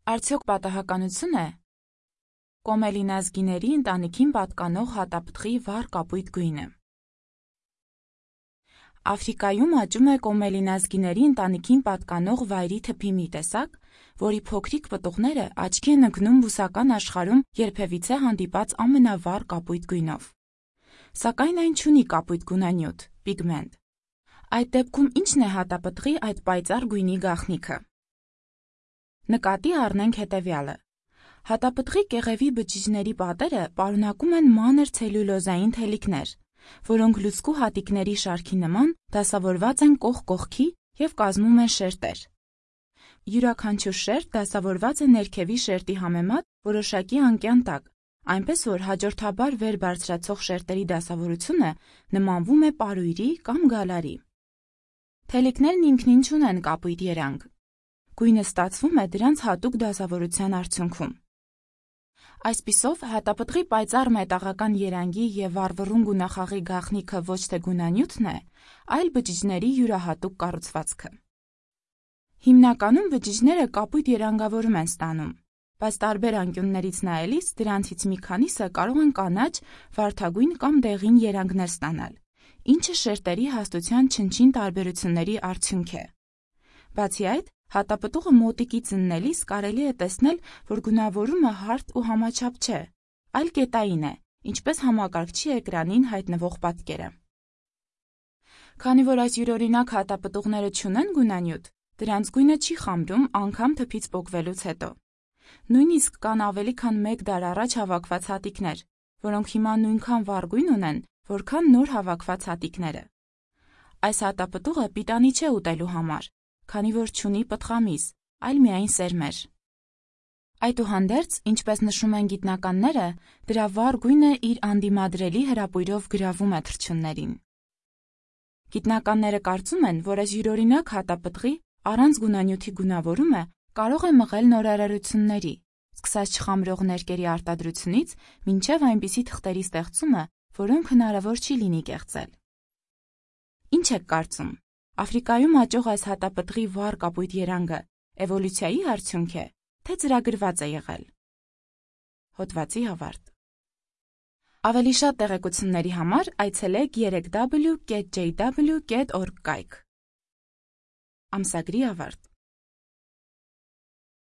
Արդյոք պատահականություն է կոմելինազգիների ընտանիքին պատկանող հատապտղի վառ կապույտ գույնը։ Աֆրիկայում աճում է կոմելինազգիների ընտանիքին պատկանող վայրի թփի մի տեսակ, որի փոքրիկ պտուղները աչքի են ընկնում բուսական աշխարհում երբևիցե հանդիպած ամենավառ կապույտ գույնով։ Սակայն այն չունի կապույտ գունանյութ՝ պիգմենտ։ Այդ դեպքում ի՞նչն է հատապտղի այդ պայծառ գույնի գաղտնիքը։ Նկատի առնենք հետևյալը. հատապտղի կեղևի բջիջների պատերը պարունակում են մանր ցելյուլոզային թելիկներ, որոնք լուցկու հատիկների շարքի նման դասավորված են կողք կողքի և կազմում են շերտեր։ Յուրաքանչյուր շերտ դասավորված է ներքևի շերտի համեմատ որոշակի անկյան տակ, այնպես որ հաջորդաբար վեր բարձրացող շերտերի դասավորությունը նմանվում է պարույրի կամ գալարի։ Թելիկներն ինքնին չունեն կապույտ երանգ։ Գույնը ստացվում է դրանց հատուկ դասավորության արդյունքում։ Այսպիսով, հատապտղի պայծառ մետաղական երանգի և վառվռուն գունախաղի գաղտնիքը ոչ թե գունանյութն է, այլ բջիջների յուրահատուկ կառուցվածքը։ Հիմնականում բջիջները կապույտ երանգավորում են ստանում, բայց տարբեր անկյուններից նայելիս դրանցից մի քանիսը կարող են կանաչ, վարդագույն կամ դեղին երանգներ ստանալ, ինչը շերտերի հաստության չնչին տարբերությունների արդյունք է։ Բացի այդ, հատապտուղը մոտիկից ըննելիս կարելի է տեսնել, որ գունավորումը հարթ ու համաչափ չէ, այլ կետային է, ինչպես համակարգչի էկրանին հայտնվող պատկերը։ Քանի որ այս յուրօրինակ հատապտուղները չունեն գունանյութ, դրանց գույնը չի խամրում անգամ թփից պոկվելուց հետո։ Նույնիսկ կան ավելի քան 1 դար առաջ հավաքված հատիկներ, որոնք հիմա նույնքան վառ գույն ունեն, որքան նոր հավաքված հատիկները։ Այս հատապտուղը պիտանի չէ ուտելու համար, քանի որ չունի պտղամիս, այլ միայն սերմեր։ Այդուհանդերձ, ինչպես նշում են գիտնականները, դրա վառ գույնը իր անդիմադրելի հրապույրով գրավում է թռչուններին։ Գիտնականները կարծում են, որ այս յուրօրինակ հատապտղի առանց գունանյութի գունավորումը կարող է մղել նորարարությունների, սկսած չխամրող ներկերի արտադրությունից մինչև այնպիսի թղթերի ստեղծումը, որոնք հնարավոր չի լինի կեղծել։ Ինչ եք կարծում, Աֆրիկայում աճող այս հատապտղի վառ կապույտ երանգը էվոլյուցիայի արդյունք է, թե ծրագրված է եղել։ Հոդվացի ավարտ։ Ավելի շատ տեղեկությունների համար այցելեք 3w.jw.org կայք։ Ամսագրի ավարտ։